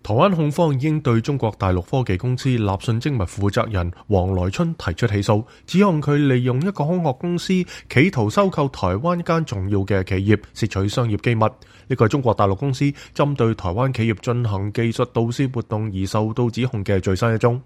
台灣控方已經對中國大陸科技公司立訊精密負責人黃來春提出起訴，指控佢利用一個空殼公司企圖收購台灣一間重要嘅企業，竊取商業機密。呢個係中國大陸公司針對台灣企業進行技術盜竊活動而受到指控嘅最新一宗。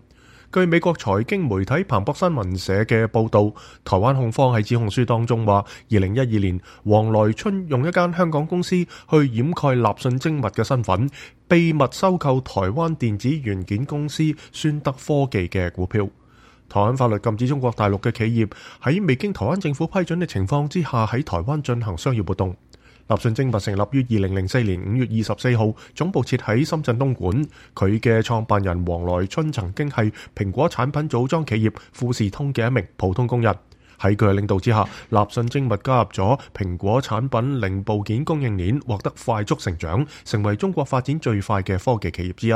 據美國財經媒體彭博新聞社嘅報導，台灣控方喺指控書當中話，2012年黃來春用一間香港公司去掩蓋立訊精密嘅身份，秘密收購台灣電子元件公司宣德科技嘅股票。台灣法律禁止中國大陸嘅企業喺未經台灣政府批准嘅情況之下喺台灣進行商業活動。立訊精密成立於2004年5月24號，總部設喺深圳東莞。佢嘅創辦人黃來春曾經係蘋果產品組裝企業富士通嘅一名普通工人。喺佢嘅領導之下，立訊精密加入咗蘋果產品零部件供應鏈，獲得快速成長，成為中國發展最快嘅科技企業之一。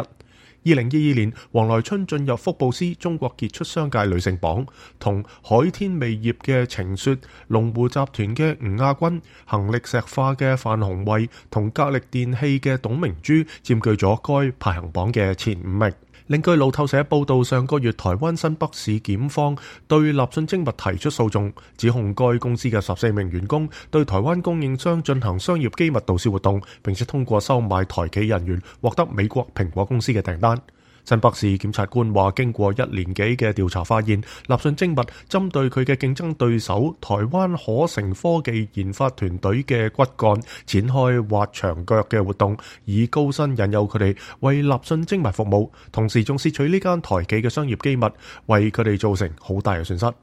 2022年，黃來春進入福布斯中國傑出商界女性榜，同海天味業嘅程雪、龍湖集團嘅吳亞軍、恒力石化嘅范鴻慧同格力電器嘅董明珠佔據咗該排行榜嘅前5名。另據路透社報道，上個月台灣新北市檢方對立訊精密提出訴訟，指控該公司嘅14名員工對台灣供應商進行商業機密盜竊活動，並且通過收買台企人員獲得美國蘋果公司嘅訂單。新北市檢察官話，經過1年幾嘅調查發現，立訊精密針對佢嘅競爭對手台灣可成科技研發團隊嘅骨幹展開挖牆腳嘅活動，以高薪引誘佢哋為立訊精密服務，同時仲竊取呢間台企嘅商業機密，為佢哋造成好大嘅損失。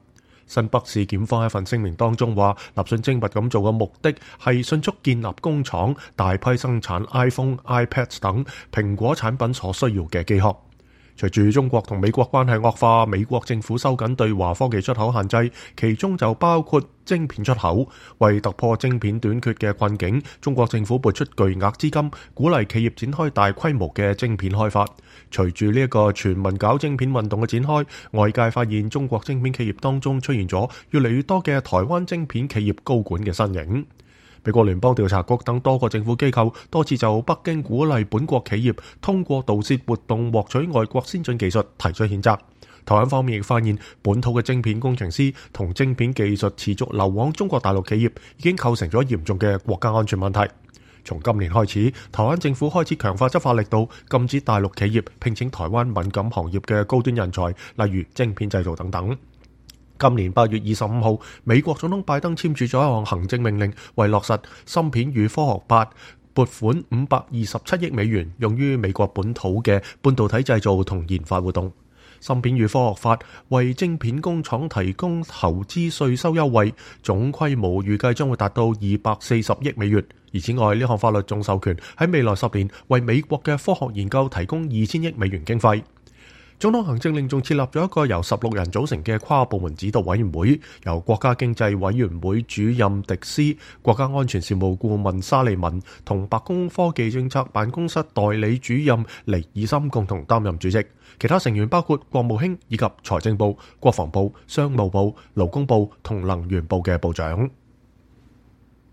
新北市檢方喺一份聲明當中話，立訊精密咁做嘅目的係迅速建立工廠，大批生產 iPhone、iPad 等蘋果產品所需要嘅機殼。隨住中國同美國關係惡化，美國政府收緊對華科技出口限制，其中就包括晶片出口。為突破晶片短缺嘅困境，中國政府撥出巨額資金，鼓勵企業展開大規模嘅晶片開發。隨住呢一個全民搞晶片運動嘅展開，外界發現中國晶片企業當中出現咗越嚟越多嘅台灣晶片企業高管嘅身影。美國聯邦調查局等多個政府機構多次就北京鼓勵本國企業通過盜竊活動獲取外國先進技術提出譴責。台灣方面亦發現本土嘅晶片工程師同晶片技術持續流往中國大陸企業，已經構成咗嚴重嘅國家安全問題。從今年開始，台灣政府開始強化執法力度，禁止大陸企業聘請台灣敏感行業嘅高端人才，例如晶片製造等等。今年8月25號，美國總統拜登簽署咗一項行政命令，為落實芯片與科學法撥款527億美元，用於美國本土嘅半導體製造同研發活動。芯片與科學法為晶片工廠提供投資稅收優惠，總規模預計將會達到240億美元。而此外，呢項法律仲授權喺未來10年為美國嘅科學研究提供2000億美元經費。總統行政令仲設立咗一個由16人組成嘅跨部門指導委員會，由國家經濟委員會主任迪斯、國家安全事務顧問沙利文同白宮科技政策辦公室代理主任尼爾森共同擔任主席。其他成員包括國務卿以及財政部、國防部、商務部、勞工部同能源部嘅部長。